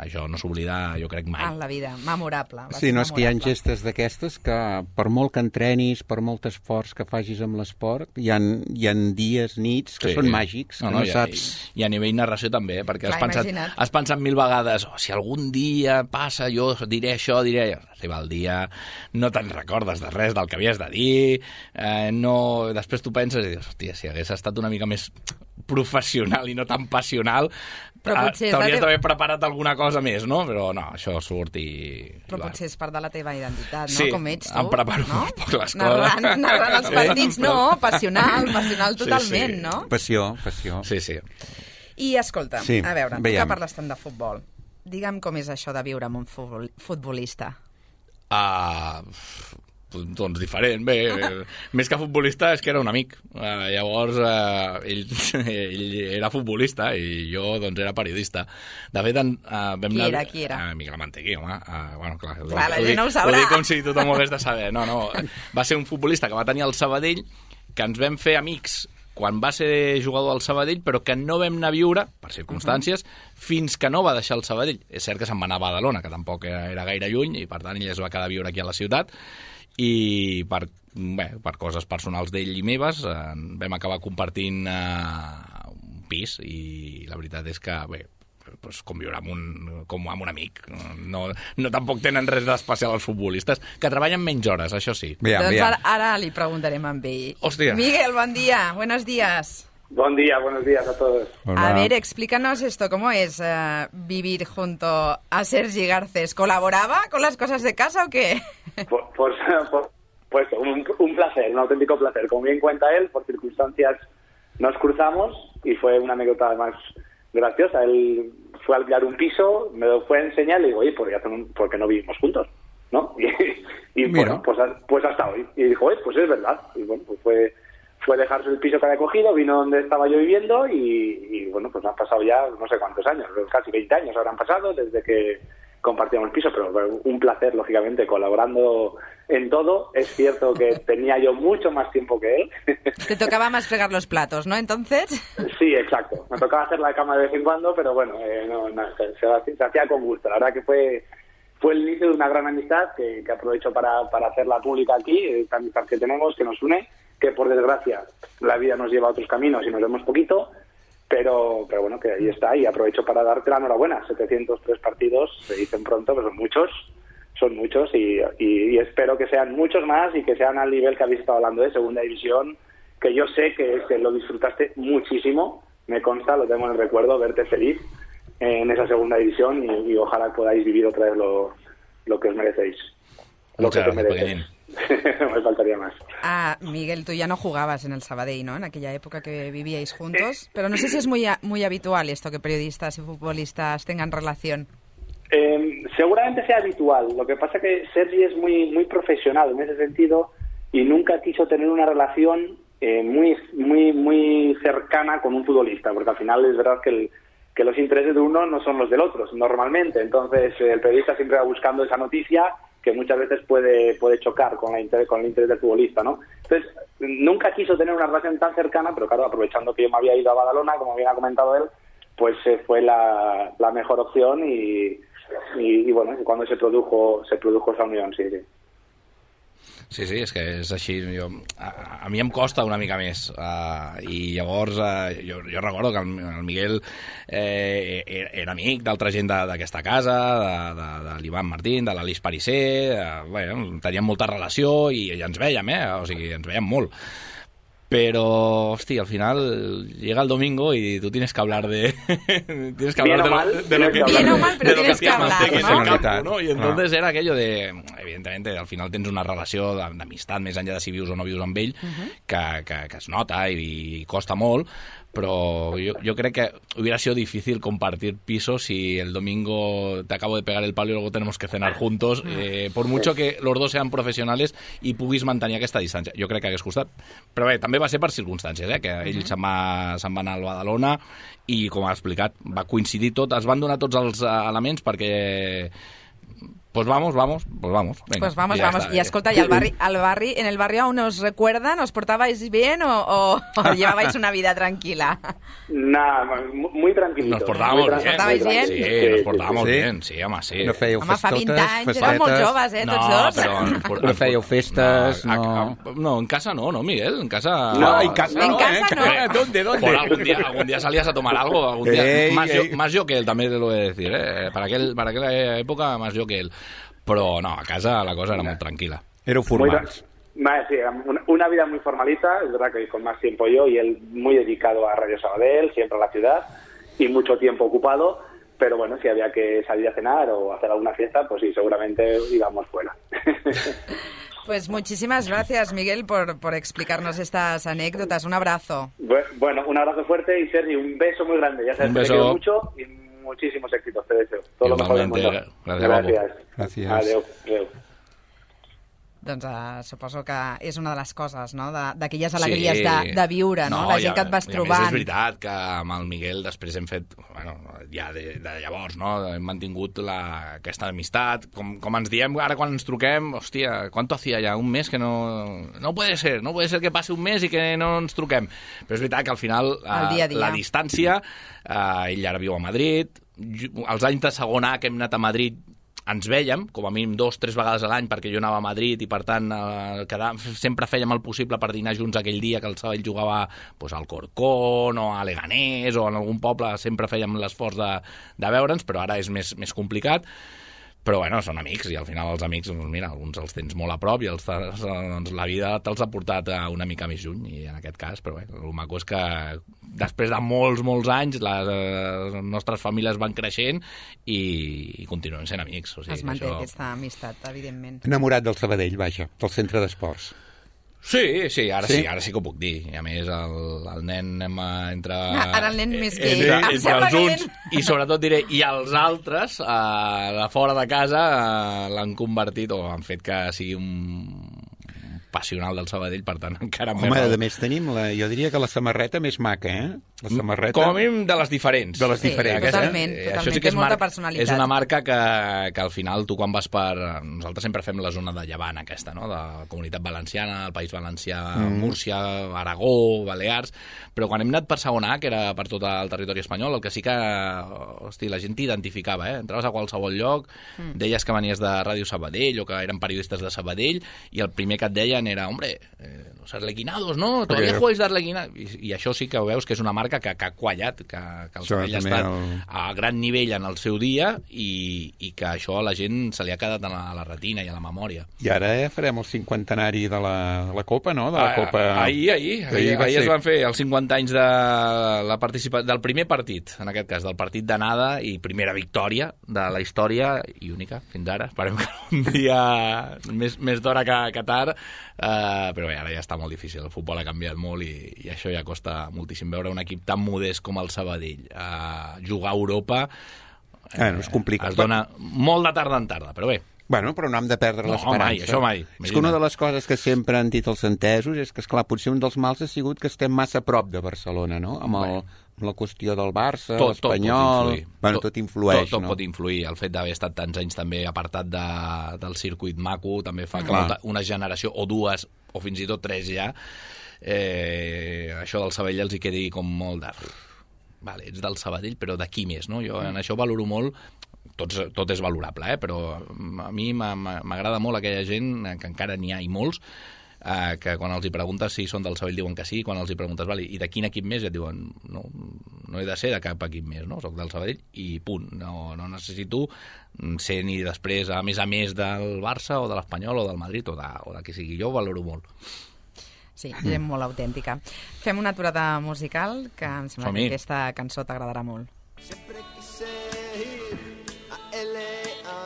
això no s'oblida, jo crec, mai. En la vida, memorable. Sí, no, és que hi ha gestes d'aquestes que per molt que entrenis, per molt esforç que facis amb l'esport, hi ha dies, nits, que són màgics, que no saps... I a nivell narració també, perquè has pensat 1000 vegades, si algun dia passa, jo diré això, diré allò. Arriba el dia, no te'n recordes de res del que havies de dir, després tu penses i dius, hòstia, si hagués estat una mica més professional i no tan passional, t'hauries d'haver preparat alguna cosa més, no? Però no, això surt i... Però potser és part de la teva identitat, no? Sí, com ets tu, em preparo molt poc les coses. Narrant els partits, no, passional totalment, no? Passió. Sí. I escolta, a veure, tu que parles tant de futbol, digue'm com és això de viure amb un futbolista. Doncs diferent, bé, més que futbolista és que era un amic, llavors ell era futbolista i jo doncs era periodista. De fet, Qui era? Miguel Mantequí, home. Bueno, clar, la gent no ho sabrà. Ho dic com si tothom ho hagués de saber. No, va ser un futbolista que va tenir el Sabadell, que ens vam fer amics quan va ser jugador al Sabadell, però que no vam anar a viure, per circumstàncies, fins que no va deixar el Sabadell. És cert que se'n va anar a Badalona, que tampoc era gaire lluny, i per tant ell es va quedar a viure aquí a la ciutat, i per coses personals d'ell i meves vam acabar compartint un pis, i la veritat és que, com viure com amb un amic. No tampoc tenen res d'especial els futbolistes, que treballen menys hores, això sí. Doncs ara li preguntarem a ell. Hòstia. Miguel, buen día, buenos días. Buenos días a todos. Hola. A ver, explícanos esto, ¿cómo es vivir junto a Sergi Garcés? ¿Colaboraba con las cosas de casa o qué? Pues un placer, un auténtico placer. Como bien cuenta él, por circunstancias nos cruzamos y fue una anécdota además graciosa. Él fue a alquilar un piso, me lo fue a enseñar y le digo, oye, ¿por qué no vivimos juntos? ¿No? Y bueno, pues hasta hoy. Y dijo, pues es verdad. Y bueno, pues fue dejarse el piso que había cogido, vino donde estaba yo viviendo y bueno, pues han pasado ya no sé cuántos años, casi 20 años habrán pasado desde que compartíamos el piso, pero un placer, lógicamente, colaborando en todo. Es cierto que tenía yo mucho más tiempo que él. Te tocaba más fregar los platos, ¿no, entonces? Sí, exacto. Me tocaba hacer la cama de vez en cuando, pero bueno, se hacía con gusto. La verdad que fue el inicio de una gran amistad que aprovecho para hacerla pública aquí, esta amistad que tenemos, que nos une, que por desgracia la vida nos lleva a otros caminos y nos vemos poquito, pero bueno, que ahí está, y aprovecho para darte la enhorabuena. 703 partidos, se dicen pronto, pero son muchos y espero que sean muchos más y que sean al nivel que habéis estado hablando de segunda división, que yo sé que lo disfrutaste muchísimo, me consta, lo tengo en el recuerdo, verte feliz en esa segunda división y ojalá podáis vivir otra vez lo que os merecéis. Muchas gracias, Pequeñín. No me faltaría más. Miguel, tú ya no jugabas en el Sabadell, ¿no? En aquella época que vivíais juntos, pero no sé si es muy habitual esto, que periodistas y futbolistas tengan relación. Seguramente sea habitual. Lo que pasa que Sergi es muy profesional en ese sentido y nunca quiso tener una relación muy cercana con un futbolista, porque al final es verdad que los intereses de uno no son los del otro, normalmente. Entonces el periodista siempre va buscando esa noticia que muchas veces puede chocar con el interés del futbolista, ¿no? Entonces, nunca quiso tener una relación tan cercana, pero claro, aprovechando que yo me había ido a Badalona, como bien ha comentado él, pues fue la mejor opción y bueno, cuando se produjo esa unión, sí. Sí, és que és així. A mi em costa una mica més. I llavors jo recordo que el Miguel era amic d'altra gent d'aquesta casa, de l'Ivan Martín, de l'Alice Parisser, teníem molta relació i ens vèiem, o sigui, ens vèiem molt. Pero, hostia, al final llega el domingo y tú tienes que hablar de lo que bien o mal, pero tienes que hablar, ¿no? Y entonces era aquello de, evidentemente, al final tens una relació d'amistat, més enllà de si vius o no vius amb ell, que es nota i costa molt, pero yo creo que hubiera sido difícil compartir pisos si el domingo te acabo de pegar el palo y luego tenemos que cenar juntos, por mucho que los dos sean professionals i puguis mantenir aquesta distància. Jo crec que hagués costat. Però bé, també va ser per circumstàncies, que ell se'n va anar al Badalona i, com ha explicat, va coincidir tot, es van donar tots els elements perquè... Pues vamos. Venga, pues vamos. Está. Y escolta, ¿y en el barrio aún os recuerdan? ¿Os portabais bien o llevabais una vida tranquila? Nada, muy tranquilito. Nos portábamos bien. ¿Os portabais bien? Sí, nos portábamos bien, sí, home, sí. No fèieu Home, fa 20 festotes, anys, éreu molt joves, tots dos. No fèieu festes, no... No, en casa no, Miguel, en casa... No, en casa En no, casa no. ¿Dónde? Por algún día salías a tomar algo, algún día. Más yo que él, también lo he de decir, Para aquella época, más yo que él. Pero no, a casa la cosa era muy tranquila. Éreu formals. Sí, una vida muy formalita, es verdad que con más tiempo yo y él muy dedicado a Radio Sabadell, siempre a la ciudad y mucho tiempo ocupado, pero bueno, si había que salir a cenar o hacer alguna fiesta, pues sí, seguramente íbamos fuera. Pues muchísimas gracias, Miguel, por explicarnos estas anécdotas. Un abrazo. Bueno, un abrazo fuerte y Sergi, un beso muy grande. Ya sabes que te quiero mucho y muchísimos éxitos, te deseo. Todo lo mejor del mundo. Gràcies. Adéu. Doncs suposo que és una de les coses, no?, d'aquelles alegries de viure, no? La gent que et vas trobant. És veritat que amb el Miguel després hem fet, bueno, ja de llavors, no?, hem mantingut aquesta amistat, com ens diem ara quan ens truquem, hòstia, ¿cuánto hacía ya? Un mes que no puede ser que passi un mes i que no ens truquem. Però és veritat que al final dia a dia. la distància, ell ara viu a Madrid, els anys de segon A que hem anat a Madrid ens vèiem, com a mínim 2-3 vegades a l'any, perquè jo anava a Madrid i, per tant, sempre fèiem el possible per dinar junts aquell dia que el Sabadell jugava al Corcón o a Leganés o en algun poble, sempre fèiem l'esforç de veure'ns, però ara és més complicat. Però, bueno, són amics, i al final els amics, doncs mira, alguns els tens molt a prop i doncs, la vida te'ls ha portat una mica més lluny, i en aquest cas, però bé, el maco és que després de molts anys les nostres famílies van creixent i continuen sent amics. O sigui, es manté aquesta amistat, evidentment. Enamorat del Sabadell, vaja, del centre d'esports. Sí, ara sí que ho puc dir. I a més, el nen entre... Ara el nen més que ell. Entre els uns, i sobretot diré, i els altres, de fora de casa, l'han convertit o han fet que sigui un passional del Sabadell, per tant, encara més... Home, a més tenim, jo diria que la samarreta més maca, La samarreta... Com a mínim de les diferents. De les diferents. Totalment. Això sí que té molta personalitat. És una marca que al final tu quan vas per... Nosaltres sempre fem la zona de Llevant aquesta, no?, de la Comunitat Valenciana, el País Valencià, Múrcia, Aragó, Balears, però quan hem anat per segona A, que era per tot el territori espanyol, el que sí que, la gent t'identificava, entraves a qualsevol lloc, deies que venies de Ràdio Sabadell o que eren periodistes de Sabadell, i el primer que et deien era, hombre, los arlequinados, ¿no? Todavía jugáis de arlequinados. I això sí que ho veus que és una marca que ha quallat, que el Sabadell ha estat a gran nivell en el seu dia i que això a la gent se li ha quedat a la retina i a la memòria. I ara farem el 50enari de la Copa, no? De la Copa... Ahir es van fer els 50 anys del primer partit, en aquest cas, del partit d'anada i primera victòria de la història i única, fins ara. Esperem que un dia més d'hora que tard, però bé, ara ja està molt difícil. El futbol ha canviat molt i això ja costa moltíssim. Veure un equip tan modest com el Sabadell jugar a Europa és complicat. Es dona molt de tarda en tarda, però bé. Bueno, però no hem de perdre l'esperança. Això mai. És que una de les coses que sempre han dit els entesos és que, esclar, potser un dels mals ha sigut que estem massa a prop de Barcelona, no? Amb la qüestió del Barça, l'Espanyol... Tot influeix, no? Tot pot influir. El fet d'haver estat tants anys també apartat del circuit maco també fa que una generació, o dues, o fins i tot tres ja, això del Sabadell els hi quedi com molt de... Vale, ets del Sabadell, però d'aquí més, no? Jo en això valoro molt... Tot és valorable, però a mi m'agrada molt aquella gent, que encara n'hi ha i molts, que quan els hi preguntes si són del Sabadell diuen que sí, quan els hi preguntes, vale, i de quin equip més, et diuen, no he de ser de cap equip més, no? Soc del Sabadell i punt. No necessito ser ni després, a més del Barça o de l'Espanyol o del Madrid o de qui sigui. Jo ho valoro molt. Sí, és molt autèntica. Fem una aturada musical, que em sembla que aquesta cançó t'agradarà molt. Sempre quise ir a L.A.,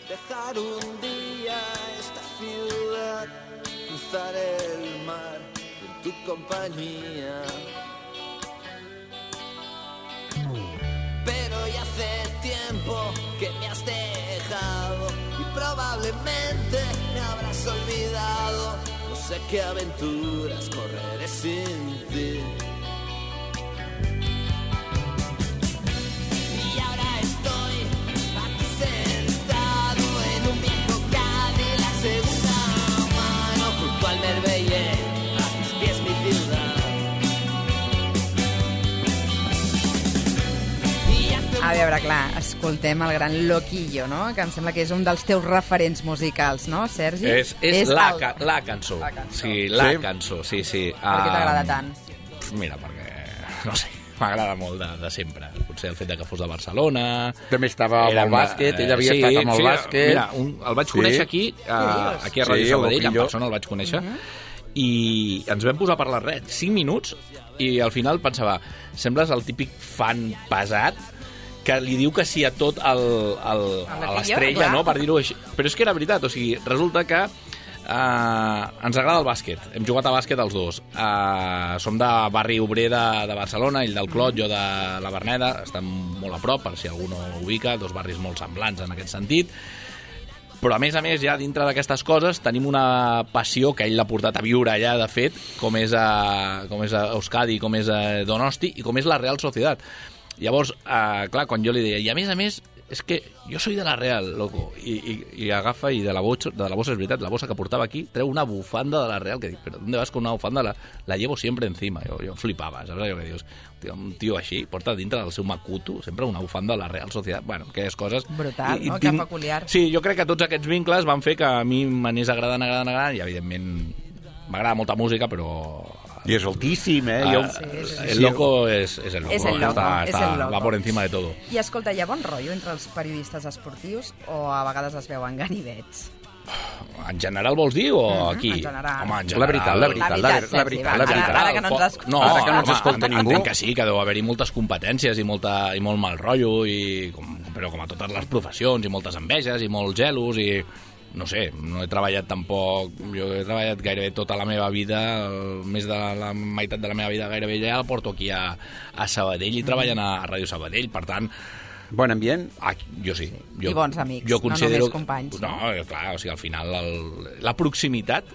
dejar un día esta ciudad, cruzar el mar en tu compañía. Probablemente me habrás olvidado. No sé qué aventuras correré sin ti. Y ahora estoy aquí sentado en un viejo Cadillac segunda mano junto al Merveille, a mis pies mi ciudad. A veure, clar, escoltem el gran Loquillo, no? Que em sembla que és un dels teus referents musicals, no, Sergi? És la cançó. Sí, la cançó, sí. Per què t'agrada tant? Mira, perquè, no sé, m'agrada molt de sempre. Potser el fet de que fos de Barcelona... També estava amb el bàsquet, ell havia estat amb el bàsquet... Mira, el vaig conèixer aquí a Ràdio Sabadell, en persona el vaig conèixer, i ens vam posar a parlar 5 minuts, i al final pensava, sembles el típic fan pesat que li diu que sí a tot a l'estrella, no?, per dir-ho així. Però és que era veritat, o sigui, resulta que ens agrada el bàsquet. Hem jugat a bàsquet els dos. Som de barri obrer de Barcelona, ell del Clot, jo de la Verneda, estem molt a prop, per si algú no ho ubica, dos barris molt semblants en aquest sentit. Però, a més, ja dintre d'aquestes coses tenim una passió que ell l'ha portat a viure allà, de fet, com és a Euskadi, com és a Donosti i com és la Real Sociedad. Llavors, clar, quan jo li deia, i a més, és que jo soy de la Real, loco, i agafa i de la bossa, és veritat, la bossa que portava aquí, treu una bufanda de la Real, que dic, però ¿dónde vas con una bufanda? La llevo siempre encima. Jo flipava, saps allò que dius? Un tio així porta dintre del seu macuto sempre una bufanda de la Real Sociedad. Bueno, aquelles coses... Brutal, no? Que peculiar. Sí, jo crec que tots aquests vincles van fer que a mi m'anés agradant, i evidentment m'agrada molta música, però... I és altíssim, El loco és el loco. És el loco, és el loco. Va por encima de todo. I escolta, hi ha bon rotllo entre els periodistes esportius o a vegades es veuen ganivets? En general vols dir o aquí? En general. Home, en general. La veritat. Ara que no ens escolta. No, ara que no ens escolta ningú. Entenc que sí, que deu haver-hi moltes competències i molt mal rotllo, però com a totes les professions, i moltes enveges, i molts gelos, i... No sé, no he treballat tampoc... Jo he treballat gairebé tota la meva vida, més de la meitat de la meva vida gairebé ja la porto aquí a Sabadell i treballen a Ràdio Sabadell, per tant... Bon ambient? Jo sí. I bons amics, no només companys. No, clar, o sigui, al final la proximitat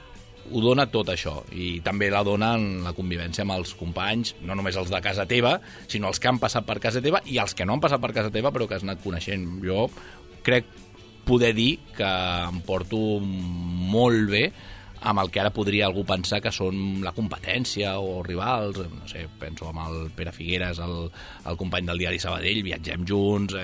ho dona tot això, i també la dona en la convivència amb els companys, no només els de casa teva, sinó els que han passat per casa teva i els que no han passat per casa teva però que has anat coneixent. Jo crec poder dir que em porto molt bé amb el que ara podria algú pensar que són la competència o rivals. No sé, penso amb el Pere Figueres, el company del diari Sabadell, viatgem junts,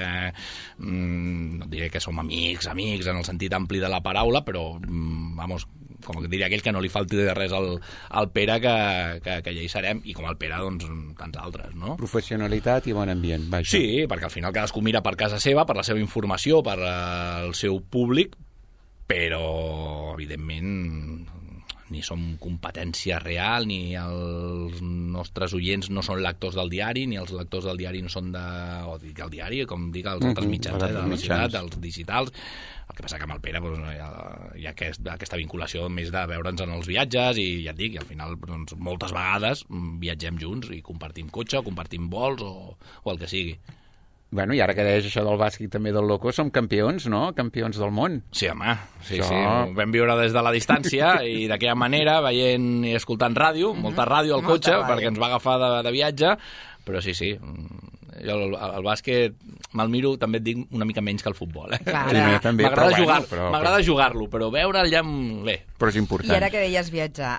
no diré que som amics en el sentit ampli de la paraula, però vamos, com diria aquell que no li falti de res al Pere, que ja hi serem, i com el Pere, doncs, tants altres, no? Professionalitat i bon ambient, vaja. Sí, perquè al final cadascú mira per casa seva, per la seva informació, per al seu públic, però, evidentment, ni som competència real, ni els nostres oients no són lectors del diari, ni els lectors del diari no són del diari, com dic els altres mitjans de la ciutat, els digitals. El que passa que amb el Pere hi ha aquesta vinculació més de veure'ns en els viatges, i ja et dic, i al final doncs, moltes vegades viatgem junts i compartim cotxe, o compartim vols o el que sigui. Bueno, i ara que deies això del bàsquet també del loco, som campions, no? Campions del món. Sí, home, sí. Ho vam viure des de la distància i d'aquella manera, veient i escoltant ràdio, molta ràdio al cotxe, perquè ens va agafar de viatge, però sí. Jo el bàsquet me'l miro, també et dic, una mica menys que el futbol. M'agrada jugar-lo, però veure'l ja bé. Però és important. I ara que deies viatjar,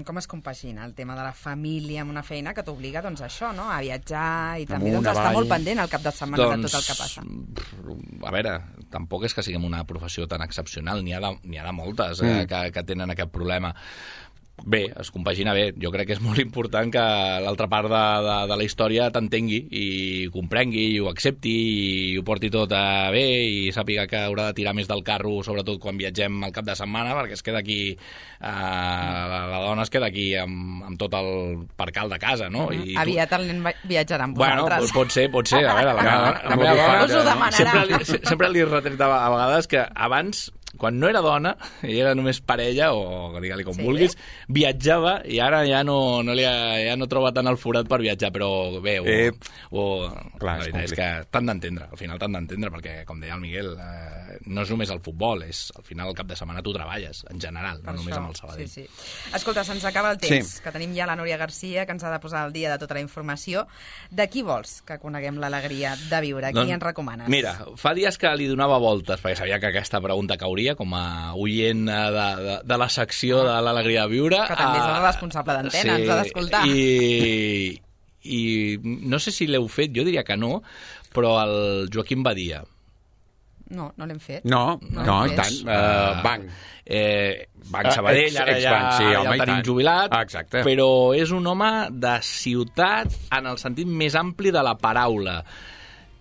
com es compagina el tema de la família amb una feina que t'obliga doncs, a això, no? A viatjar i també doncs, estar molt pendent al cap de setmana de tot el que passa? A veure, tampoc és que siguem una professió tan excepcional, n'hi ha de moltes que tenen aquest problema. Bé, es compagina bé. Jo crec que és molt important que l'altra part de la història t'entengui i comprengui i ho accepti i ho porti tot bé i sàpiga que haurà de tirar més del carro, sobretot quan viatgem al cap de setmana, perquè es queda aquí la dona es queda aquí amb tot el percal de casa, no? Aviat el nen viatjarà amb vosaltres. Bueno, pot ser. A veure, la meva dona sempre li retret a vegades que abans, quan no era dona, i era només parella, o digue-li com vulguis, viatjava, i ara ja no troba tant el forat per viatjar, però bé, la veritat és que t'han d'entendre, al final t'han d'entendre, perquè, com deia el Miguel, no és només el futbol, al final el cap de setmana tu treballes, en general, no només amb el Sabadell. Sí. Escolta, se'ns acaba el temps, que tenim ja la Núria Garcia, que ens ha de posar al dia de tota la informació. De qui vols que coneguem l'alegria de viure? Qui ens recomanes? Mira, fa dies que li donava voltes, perquè sabia que aquesta pregunta cauria com a oient de la secció de l'alegria de viure. Que també és el responsable d'antena, ens ha d'escoltar. I no sé si l'heu fet, jo diria que no, però el Joaquim Badia. No l'hem fet. No, i tant. Banc. Banc Sabadell, ara ja el tenim jubilat, exacte. Però és un home de ciutat en el sentit més ampli de la paraula.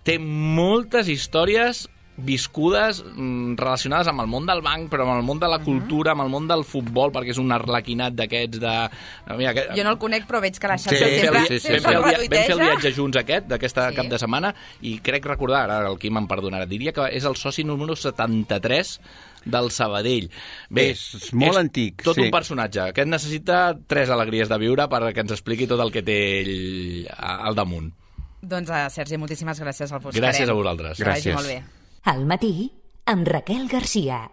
Té moltes històries viscudes relacionades amb el món del banc, però amb el món de la cultura, amb el món del futbol, perquè és un arlequinat d'aquests de... Jo no el conec, però veig que la xarxa sempre vam fer el viatge junts d'aquesta cap de setmana, i crec recordar, ara el Quim em perdonarà, diria que és el soci número 73 del Sabadell. Bé, és molt antic. Tot un personatge. Aquest necessita 3 alegries de viure perquè ens expliqui tot el que té ell al damunt. Doncs, Sergi, moltíssimes gràcies. El buscarem. Gràcies a vosaltres. Que vagi molt bé. Al matí, amb Raquel Garcia.